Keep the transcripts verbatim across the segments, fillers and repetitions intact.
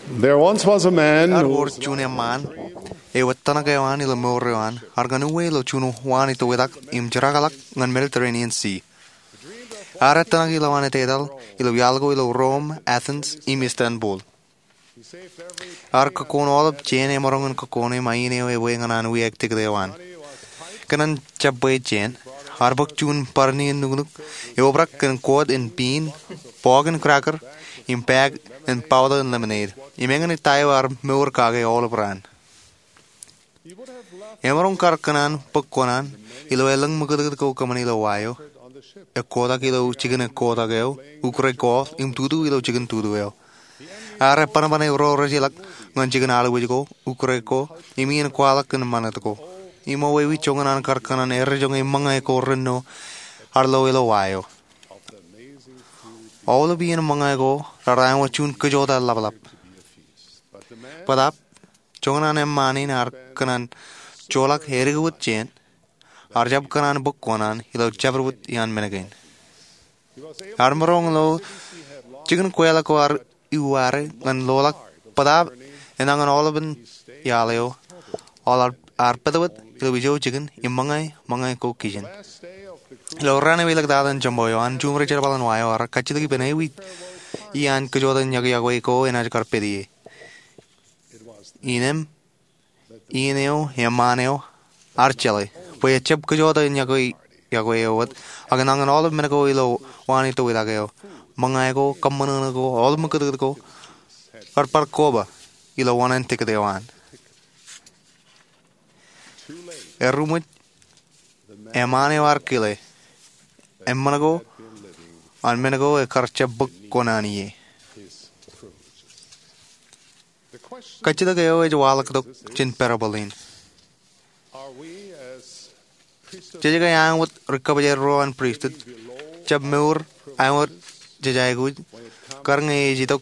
There once was a man Ear who wōr juon eṃṃaan eo etōṇak eo an ilo mour eo an ear kōn uwe ilo juon waanwōt tok im jeraḷọk ñan Mediterranean Sea. Ear etōṇak ilo an etetal ilo iaḷ ko ilo Rome, Athens im Istanbul. Ear kōkkoon aolep jān emaroñ in kōkkoone ṃae in eo ebwe ñan an wiaik tikōt eo an. Kōn an jab bwe jān, ear bōk juon barāinwōt nuknuk eo obrak kōn koot in piin, bọọk in cracker, im bag in powder in lemonade. Im eñin ta eo ear mour kake aolep raan. Emaroñ kar kōn an bōk kuṇaan ilo elōñ ṃakūtkūt ko kōṃṃan ilo wa eo, ekkotak ilo jikin ekkotak eo, ukōt golf im tutu ilo jikin tutu eo. Ear ebbanban ro rejeḷọk ñan jikin aḷuwij ko, ukōt ko, im iien kwaḷọk kōn ṃanit ko. Im eo ewi joñan an kar kōn an errejoñe ṃōñā ko renno ear lo ilo wa eo. Aolep iien ṃōñā ko raar āinwōt juon kōjota ḷapḷap. Bōtaab, joñan an eṃṃaan in ear kōn an joḷọk eddik wōt jān, ear jab kōn an bōk kuṇaan ilo jabdewōt iaan men kein. Ear maroñ lo jikin kweeḷọk ko ear iuware ñan loḷọk bōtaab enañin aolepen iaḷ eo, aolep ear pātwōt ilo ijo jikin im ṃōñā, ṃōñā ko kijen. Ilo raan eo elōktata in joṃbo eo an, juṃae jerbal in wa eo ear kajjitōk ippān ewi iaan kōjota in yokwe ko enaaj kar pād ie. Innām, iien eo eṃṃaan eo ear jeḷā bwe ejab kōjota in yokwe eo wōt, ak enañin aolep men ko ilo waanwōt tok eo, ṃōñā ko, kōṃṃan ko, aolep ṃakūtkūt ko, kar bar koba ilo waanwōt tikōt eo an. Eruṃwij, eṃṃaan eo ear kile eṃṃan ko an men ko ekar jab bōk kuṇaan ie. Kajjitōk eo ej waḷọk tok jān parable in. Jej ke āinwōt ri-kōbjeḷ ro an pristut, jab mour āinwōt jej aikuj, kar ñe ej itok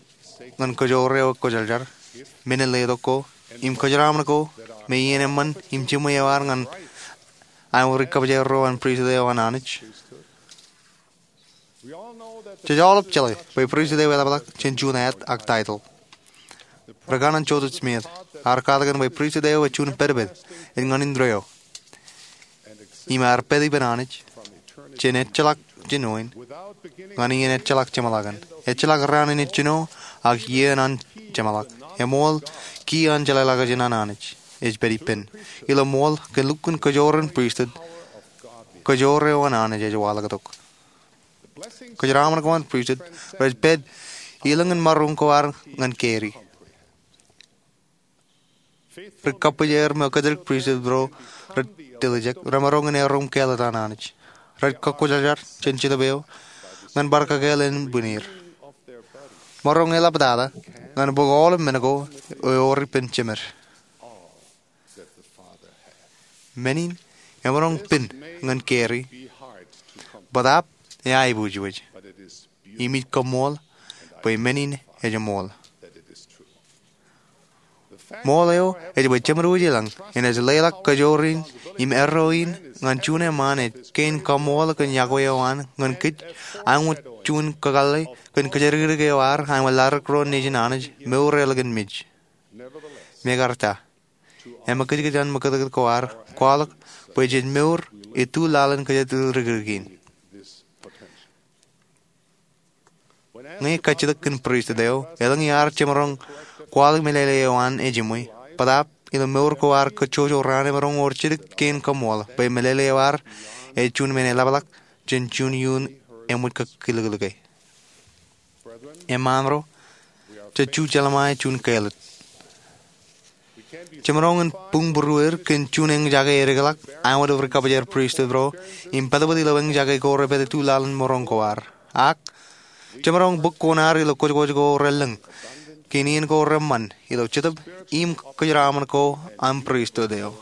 ñan kōjoor eo ekwōjarjar, men in letok ko, im kōjeraaṃṃan ko, me iien eṃṃan im jiṃwe eo ear ñan āinwōt ri-kōbjeḷ ro an pristut eo an Anij? Jej aolep jeḷā bwe pristut eo eḷapḷọk jān juon ad ak title. Ri-kanooj Joseph Smith ear katakin bwe pristut eo ej juon pedped ej ñan indeeo, im ear pād ippān Anij jān ejjeḷọk jān ioon, ñan iien ejjeḷọk jeṃḷọkin, ejjeḷọk raan in ejjino, ak iien an jeṃḷọk. Eṃool, ki an jeḷāḷọkjeṇ an Anij ej pād ippān. Ilo ṃool kōn lukkuun kōjoor in pristut, kōjoor eo an Anij ej waḷọk tok. Kōjeraaṃṃan ko an pristut rej pād ilōñ in maroñ ko ad ñan carry. Ri-kōbjeḷ ro me kōjatdikdik pristut ro rej dilijek, remaroñ in erom kāālōt an Anij. Rej kakwōjarjar jān Jetōb eo ñan bar kakāāl ānbwinnier. Maroñ eḷaptata ñan bōk aolep men ko ewōr ippān Jemed. Men in emaroñ pen ñan carry, bōtaab eaibwijwij. Im ij koṃṃool bwe men in ej ṃool. Ṃool eo ej bwe Jemed Wōj Ilañ enaaj leḷọk kōjoor in im erreo in ñan juon eṃṃaan ej kein kaṃṃool kōn yokwe eo an ñan kōj, āinwōt juon kakōḷḷe kōn kōjatdikdik eo ear āinwōt ladik ro nejin Anij mour eo ḷọk in mej. Mekarta, eṃōkajkōj an ṃakūtkūt ko ear kwaḷọk bwe jej mour ituḷ laḷ in kōjatdikdik in. Ñe kajjitōk kōn pristut eo elōñ iaar jemaroñ kwaḷọk meḷeḷe eo an ejiṃwe, bōtaab ilo mour ko ear kōjjojo raan emaroñ wōr jidik kein kaṃṃool bwe meḷeḷe eo ear ej juon men eḷapḷọk jān juon iuun eṃōj kōkiliklike. Eṃṃaan ro, jej ju jeḷā ṃae juon kāālōt. Jemaroñ in buñbūruer kōn juon eñjake edikḷọk āinwōt ri-kōbjeḷ pristut ro im pātpōt ilo eñjake ko repād ituḷ laḷ in maroñ ko ad. Ak jemaroñ bōk kuṇaad ilo kwōjkwōj ko relōñ kōn iien ko reṃṃan ilo Jetōb im kōjeraaṃṃan ko an pristut eo.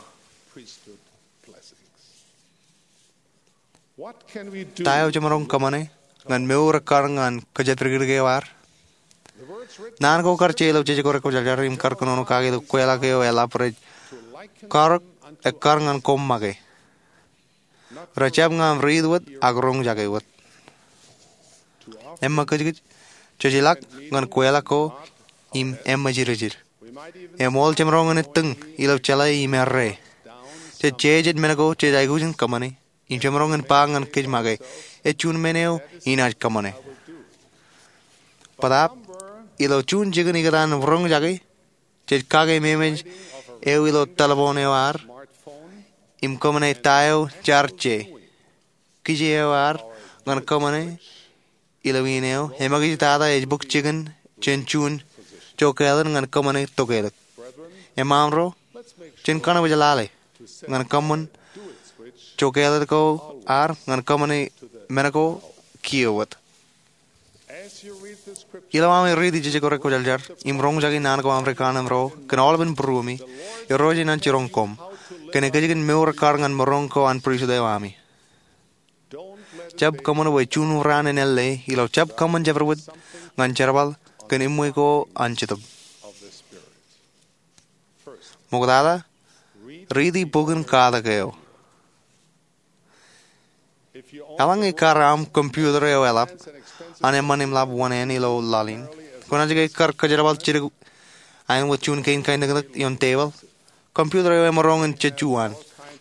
Ta eo jemaroñ kōṃṃane ñan mour ekkar ñan kōjatdikdik eo ad? Naan ko kar je ilo Jejko Rekwōjarjar im kar kōnono kake ilo kweilọk eo eḷap rej karōk ekkar ñan koṃ make. Rejjab ñan riit wōt ak roñjake wōt. Eṃōkajkōj, jej ilọk ñan kweilọk ko im eṃōjrōjrō. Eṃool jemaroñ in ettōñ ilo jeḷā im errā. Jej jeje men ko jej aikuj in kōṃṃane im jemaroñ in ba ñan kōj make, ej juon men eo inaaj kōṃṃane. Bōtaab ilo juon jikin ikōtaan roñjake, jej kake memeej eo ilo telepon eo ad im kōṃṃane ta eo jaar je. Kije eo ad ñan kōṃṃane ilo iien eo eṃōkajtata ej bōk jikin jān juon jokālōt ñan kōṃṃane tokālik. Eṃṃaan ro, jen kōṇaan wōj lale ñan kōṃṃan jokālōt ko ad ñan kōṃṃane men ko kiiō wōt. Ilo ami riiti jejako rek kwōjarjar im roñjake naan ko ami ri kanaan ro kōn aolepān būruemi, Irooj enaaj jiroñ koṃ kōn ekōjkan mour ekkar ñan maroñ ko an pristut eo ami. Jab kōṃṃan bwe juon raan en ālle ilo jab kōṃṃan jabdewōt ñan jerbal kōn eṃṃan ko an Jetōb. Ṃoktata, riiti bok in katak eo. Eḷaññe kar aṃ computer eo eḷap an eṃṃan im lab wōṇāān ilo laḷ in, kwōnaaj ke kar kōjerbal jidik aenwōt juon kein kainōknōk ioon tebōḷ? Computer eo emaroñ in jejju an.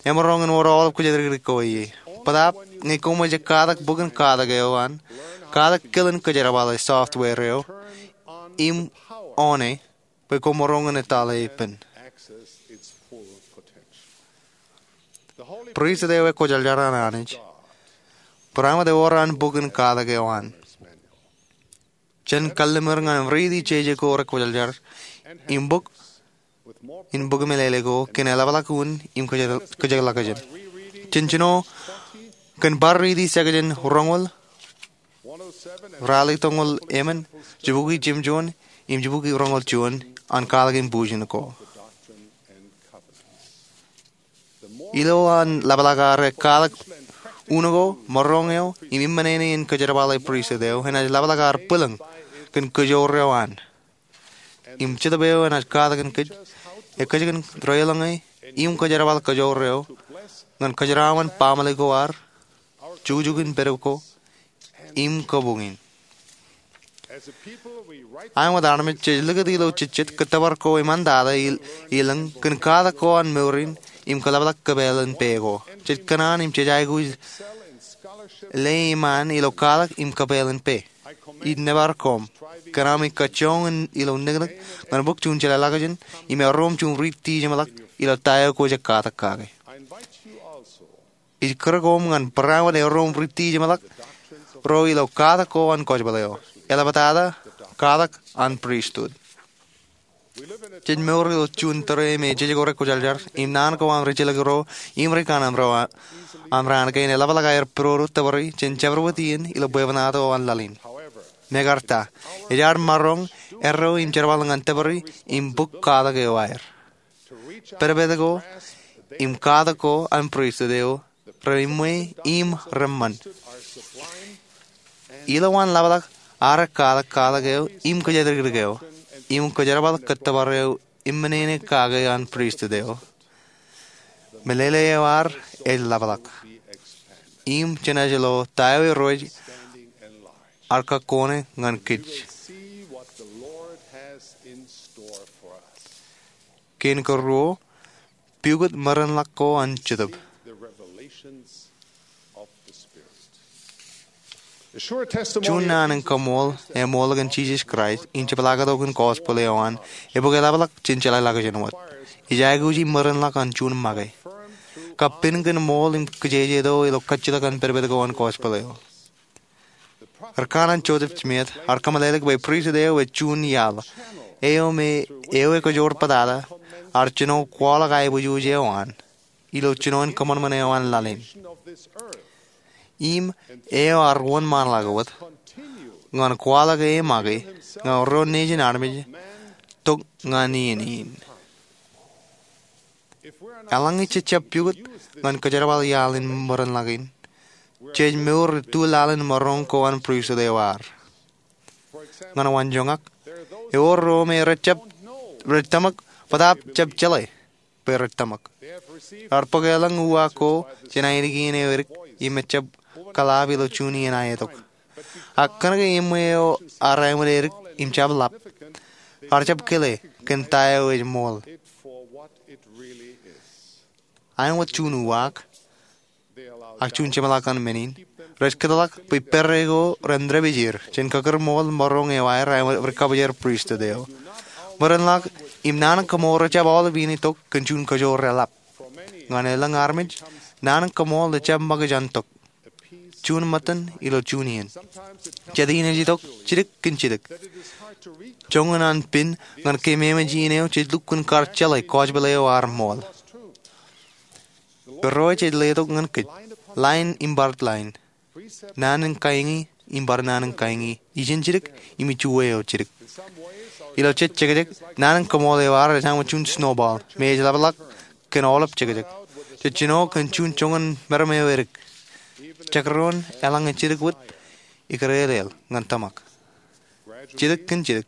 Emaroñ in wōr aolep kōjatdikdik ko ie. Bōtaab ñe koṃij katak bok in katak eo an, katak kilen kōjerbale software eo, im oṇe bwe koṃ maroñ in etale ippān. Pristut eo ekwōjarjar an Anij, barāinwōt ewōr an bok in katak eo an. Jen kalliṃur ñan riiti jejako rek kwōjarjar im bok in bok meḷeḷe ko kōn eḷapḷọk unin im kōjekḷọkjeṇ. Jen jino kōn bar riiti section roñoul, ralitōñoul emān, jibukwi jimjuon, im jibukwi roñoul juon an katak in bujen ko. Ilo an ḷapḷọk ad katak un ko, maroñ eo, im eṃṃan eo in kōjerbale pristut eo, enaaj ḷapḷọk ad bwilōñ kōn kōjoor eo an. Im Jetōb eo enaaj katakin kōj, ekōjkan deḷọñe im kōjerbal kōjoor eo ñan kōjeraaṃṃan baaṃle ko ad, jukjuk in pād ko, im kabuñ in. Āinwōt armej jej likūt ilo jejjet kōttōpar ko eṃṃantata ilōñ kōn katak ko an mour in im kōḷapḷọk kōpeḷ in pā ko. Jej kōṇaan im jej aikuj leḷọk ilo katak im kōpeḷ in pā. Ij nōbar koṃ kōn ami kajjoñ in ilo niknik ñan bōk juon jeḷāḷọkjeṇ im erom juon riiti jeṃḷọk ilo ta eo kwōj katak kake. Ij kūr koṃ ñan barāinwōt erom riiti jeṃḷọk ro ilo katak ko an kōjpeḷ eo, eḷaptata katak an pristut. Jej mour ilo juon tōre me jejako rek kwōjarjar im naan ko an ri jilkinro im ri kanaan ro aṃ raan kein eḷapḷọk aer pidodo tōpar jān jabdewōt iien ilo bwebwenato an laḷ in. Mekarta, ej ad maroñ erro im jerbal ñan tōpar im bok katak eo aer. Pedped ko im katak ko an pristut eo reṃṃan im reṃṃan. Ilo an ḷapḷọk ad katak katak eo im kōjatdikdik eo im kōjerbal kōttōpar eo eṃṃan eo kake an pristut eo, meḷeḷe eo ad ej ḷapḷọk im jenaaj lo ta eo Irooj ear kakkone ñan kōj. Kein karuo, pukot merenḷọk ko an Jetōb. Juon naan in kaṃool eṃool kōn Jisōs Kraist im jepḷaaktok in gospel eo an, ebōk eḷapḷọk jān jeḷāḷọkjeṇ wōt. Ej aikuji merenḷọk an juon make. Kab pen kōn ṃool im kijejeto ilo kajjitōk an pedped ko an gospel eo. Ri kanaan Joseph Smith ear kōmeḷeḷe bwe pristut eo ej juon iaḷ eo me eo ekajoor bōtata ear jino kwaḷọk aiboojoj eo an ilo jinoin kōṃanṃan eo an laḷ in. Im eo ear wōnṃaanḷọk wōt ñan kwaḷọk e make ñan ro nejin armej tok ñan iien in. Eḷaññe jej jab pukot ñan kōjerbal iaḷ in merenḷọk in, jej mour ilo laḷ in maroñ ko an pristut eo ad. Ñan wanjoñak, ewōr ro me rej tōmak bōtaab jab jeḷā bwe rej tōmak. Ear bōk elōñ uwaak ko jān ainikien eo edik im ejjab kōḷaab ilo juon iien aetok. Ak kōnke eṃṃan eo ear āinwōt edik im jab ḷap, Raar jab kile kōn ta eo ej ṃool. Aenōt juon uwaak ak juon jeṃḷọk ñan men in, rej kōtḷọk bwe pere ko ren dāpij er jān kakūrṃool maroñ eo aer aenōt ri-kabōjāer pristut eo. Bwe ren ḷak im naan in kaṃool rej jab aolep iien itok kōn juon kajoor eḷap. Ñan elōñ armej, naan in kaṃool ej jab ṃōkaj an tok juon ṃōttan ilo juon iien. Jet iien ej itok jidik kōn jidik, joñan an pin ñan keememej iien eo jej lukkuun kar jeḷā gospel eo ear ṃool. Irooj ej letok ñan kōj, lain im bar lain, naan in kaiñi im bar naan in kaiñi, ijin jidik im ijuwe eo jidik. Ilo jet jekjek, naan in kaṃool eo aer ej aenōt juon snowball me ej ḷapḷọk kōn aolep jekjek. Jej jino kōn juon joñan meram eo edik. Jekdọọn eḷaññe jidik wōt, ikōrāāl ñan tōmak. Jidik kōn jidik,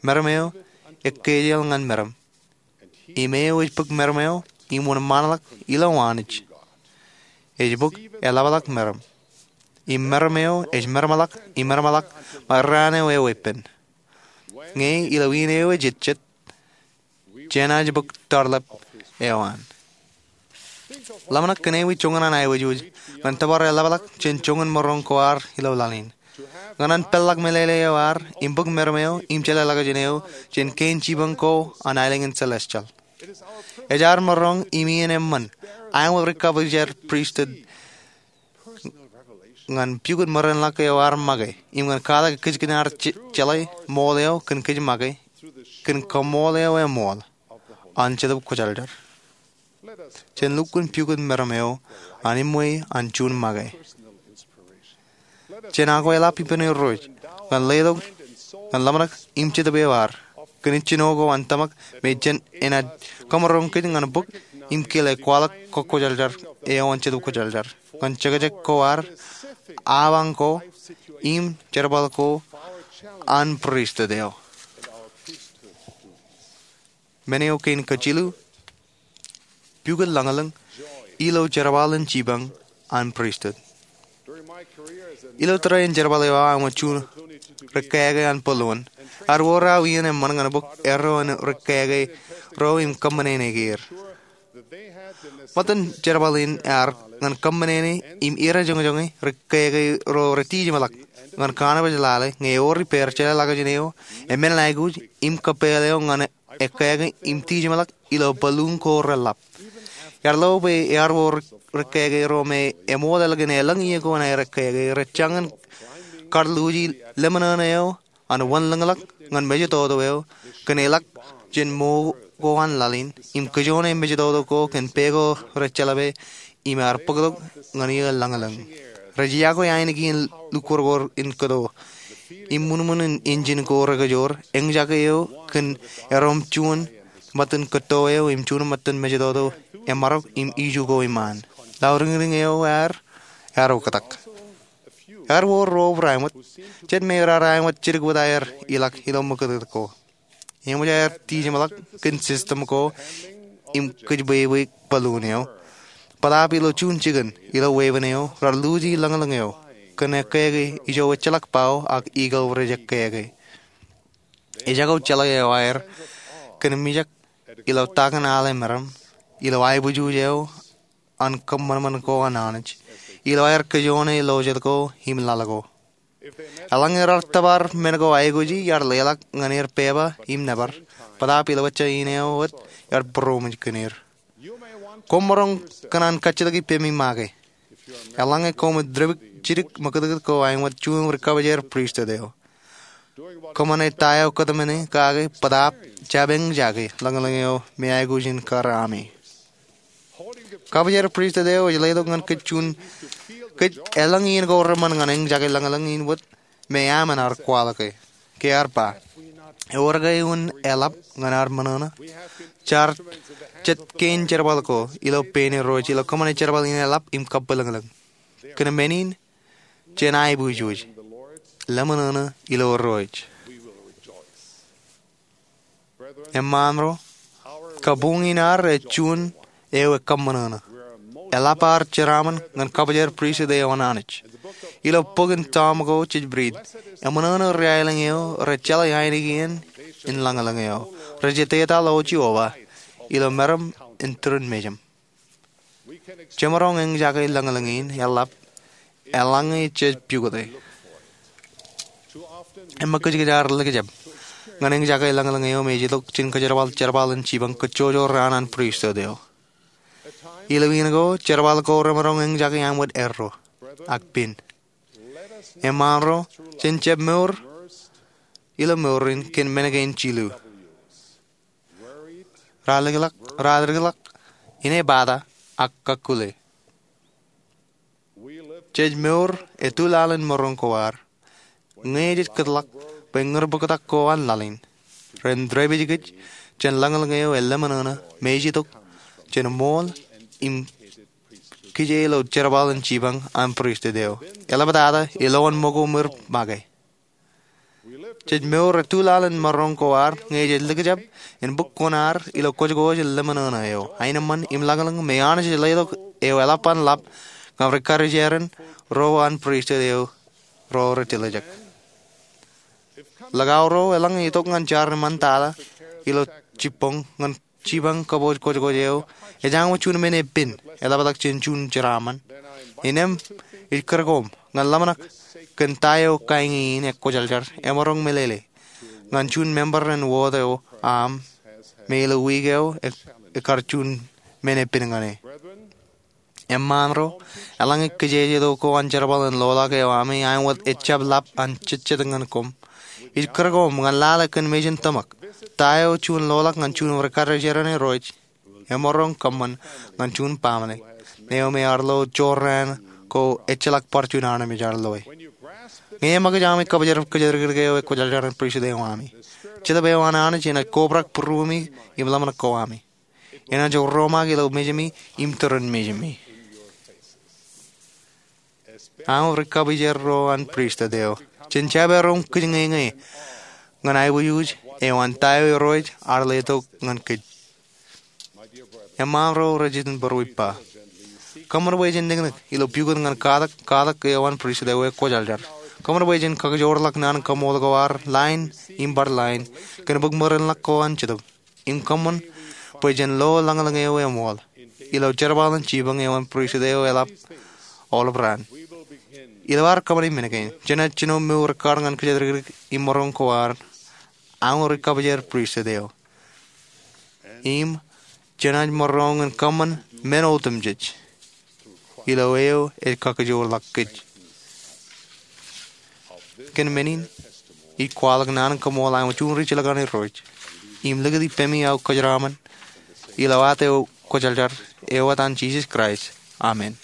meram eo ekkejel ñan meram. Im eo ej bōk meram eo im wōnṃaanḷọk ilo Anij ej bōk eḷapḷọk meram. Im meram eo ej meramḷọk im meramḷọk ṃae raan eo eweeppān. Ñe ilo iien eo ejejjet, jenaaj bōk tarlep eo an. Ḷōmṇak kōn ewi joñan an aikuj ñan tōpar eḷapḷọk jān joñan maroñ ko ad ilo laḷ in. Ñan an peḷḷọk meḷeḷe eo ad im bōk meram eo im jeḷā ḷọkjeṇ eo jān kein jipañ ko an aelōñ in celestial. Ej ad maroñ im iien eṃṃan aenōt ri-kabōjāer pristut ñan pukot ṃōrainḷọk eo ad make im ñan kwaḷọk kōjkan ad jeḷā ṃool eo kōn kōj make kōn kaṃool eo eṃool an Jetōb Kwōjarjar. Jen lukkuun pukot meram eo an eṃṃan an juon make. Jen akweḷap ippān Irooj ñan letok ñan ḷōmṇak im jetōb eo ad kōn ijjino ko an tōmak me jen enaaj kōmaroñ kōj ñan bōk im kile kwaḷọk kōkkwōjarjar eo an Jetōb Kwōjarjar ñan jekjek ko ad, awañ ko, im jerbal ko an pristut eo. Men eo kein kōjilu, pukot lañlōñ ilo jerbal in jipañ an pristut. Ilo tōre in jerbal eo aō aenōt juon ri-keke an balloon, ear wōr aō iien eṃṃan ñan bōk erro an ri-keke ro im kōṃṃane er. Ṃōttan jerbal in ear ñan kōṃṃane im irejoñjoñe ri-keke ro retijeṃḷọk ñan kanbōj lale ñe eor ippāer jeḷā ḷọkjeṇ eo, emān aikuj im kōppāl eo ñan ekkāke im tijeṃḷọk ilo balloon ko reḷap. Iar lo bwe ear wōr ri-keke ro me eṃool ālikin elōñ iiō ko an aer ekkāke rej jañin kar luuji lemñoṇ eo an wanlōñḷọk ñan mejatoto eo kōn eḷak jān mo ko an laḷ in im kōjone mejatoto ko kōn pā ko rej jeḷā bwe im ear bōktok ñan iiō lañlōñ. Rej iakwe ainikien lukkuun ko in kōto im ṃuṇmuṇ in injin ko rekajoor, eñjake eo kōn erom juon ṃōttan kōtto eo im juon ṃōttan mejatoto emarok im iju ko iṃaan. Lauriñriñ eo aer ear oktak. Ear wōr ro aenōt, jet me raar aenōt jidik wōt aer ilọk ilo ṃōkūtkūt ko. Eṃōj aer tijeṃḷọk kōn system ko im kōjbwebwe balloon eo. Bōtaab ilo juon jikin ilo weeppān eo raar luuji lañlōñ eo kōn ekkāke ijo ejjeḷọk bao ak eagle rej ekkāke. Ejako jeḷā eo aer kōn mijak ilo takin ale meram ilo aiboojoj eo an kōṃanṃan ko an Anij ilo aer kōjone lo jet ko im laḷ ko. Eḷaññe raar tōpar men ko aikuji, iar leḷọk ñan er pepa im nōbar, bōtaab ilo ejja iien eo wōt iar būroṃōj kōn er. Koṃ maroñ kōṇaan kajjitōk ippemi make. Eḷaññe koṃij dāpij jidik ṃōkūtkūt ko aenōt juon ri-kabōjāer pristut eo, kōṃṃane ta eo kōtmāne kake bōtaab jab eñjake lañlōñ eo me aikuj in kar ami. Kabōjāer pristut eo ej letok ñan kōj juon, kōj elōñ iien ko reṃṃan ñan eñjake lañlōñ in wōt me aṃ en ar kwaḷọke. Ke ear ba, ewōr ke un eḷap ñan ad ṃōṇōṇō? Jar jet kein jerbal ko ilo pein Irooj ilo kōṃṃane jerbal in eḷap im kabwilōñlōñ. Kōn men in, jen aiboojoj, leṃōṇōṇō ilo Irooj. Eṃṃaan ro, kabuñ in ad ej juon eo ekōṃṃanono. Eḷap ad jeraaṃṃan ñan kabōjāer pristut eo an Anij. Ilo bok in Tom ko jej riit, eṃōṇōṇō ri-aelōñ eo rej jeḷā ainikien in lañlōñ eo. Rej etetaḷ ḷọk Jeova ilo meram in turin mejaṃ. Jemaroñ eñjake lañlōñ in eḷap eḷaññe jej pukot e. Eṃṃakūt kōj ar likjab ñan eñjake lañlōñ eo im ej itok jān kōjerbal jerbal in jipañ kōjjojo raan an pristut eo. Ilo iien ko, jerbal ko remaroñ eñjake aṃ wōt erro ak pen. Eṃṃaan ro, jen jab mour ilo mour in kōn men kein jilu. Raar likḷọk, raar likḷọk, inepata, ak kakkule. Jej mour etulaḷ in maroñ ko ad ñe jej kōtḷọk bwe ñūr bōktak ko an laḷ in ren dāpij kōj jān lañlōñ eo eḷōmṇōṇō me ej itok jān ṃool im kije ilo jerbal in jipañ an pristut eo. Eḷaptata, elōñ ṃōko ṃwir make. Jej mour etulaḷ in maroñ ko ad ñe jej likjab in bōk kuṇaad ilo kōjkōj in ḷōmṇōṇō eo, aenōṃṃan im lañlōñ me Anij ej letok eo eḷap an ḷap ñan ri-karijeran ro an pristut eo ro rej tiljek. Likao ro eḷaññe itok ñan jar iṃaan tata ilo jibboñ ñan jipañ kōpooj kōjkōj eo, ejjañwe juon men epen eḷaptata jān juon jeraaṃṃan. Innām ij kūr koṃ ñan ḷōmṇak kōn ta eo kaeñe in ekwōjarjar emaroñ meḷeḷe ñan juon member in wōt eo aṃ me ilo wiik eo e, ekkar juon men epen ñan e. Eṃṃaan ro, eḷaññe kijejeto ko an jerbal in loḷọk eo ami aṃ wōt ejjab ḷap an jejjet ñan koṃ, ij kūr koṃ ñan lale kōn mejān tōmak ta eo juon loḷọk ñan juon ri-karijeran Irooj emaroñ kōṃṃan ñan juon baaṃle eo me ear lo jorrāān ko ejjeḷọk bar juon armej ear loe. Ñe eṃōkaj ami kōpoojar kōjatdikdik eo ekwōjarjar an pristut eo ami, Jetōb eo an Anij enaaj kobrak būruemi im ḷōmṇak ko ami. Enaaj romaak ilo mejemi im turin mejemi. Aṃ ri-kōpoojar ro an pristut eo, jen jab erom kōj ñeñe ñan aiboojoj eo an ta eo Irooj ear letok ñan kōj. Eṃṃaan ro rej iten būruippa, kōṃṃan bwe jen niknik ilo pukot ñan katak, katak eo an pristut eo ekwōjarjar. Kōṃṃan bwe jen kakijoorḷọk naan in kaṃṃool ko ad line im bar line kōn bōk merenḷọk ko an Jetōb. Im kōṃṃan bwe jen lo lañlōñ eo eṃool ilo jerbal in jipañ eo an pristut eo eḷap aolep raan. Ilo ad kōṃṃane men kein, jenaaj jino mour ekkar ñan kōjatdikdik im maroñ ko ad, aṃ ri-kōpoojar pristut eo. Im jenaaj maroñ in kōṃṃan men otemjej ilo eo ej kakijoorḷọk kōj. Kōn men in, ij kwaḷọk naan in kaṃṃool aṃ juon ri jilkinaan Irooj im likūt ippemi aō kōjeraṃṃan ilo ad eo kwōjarjar, eo etan Jisōs Kraist, amen.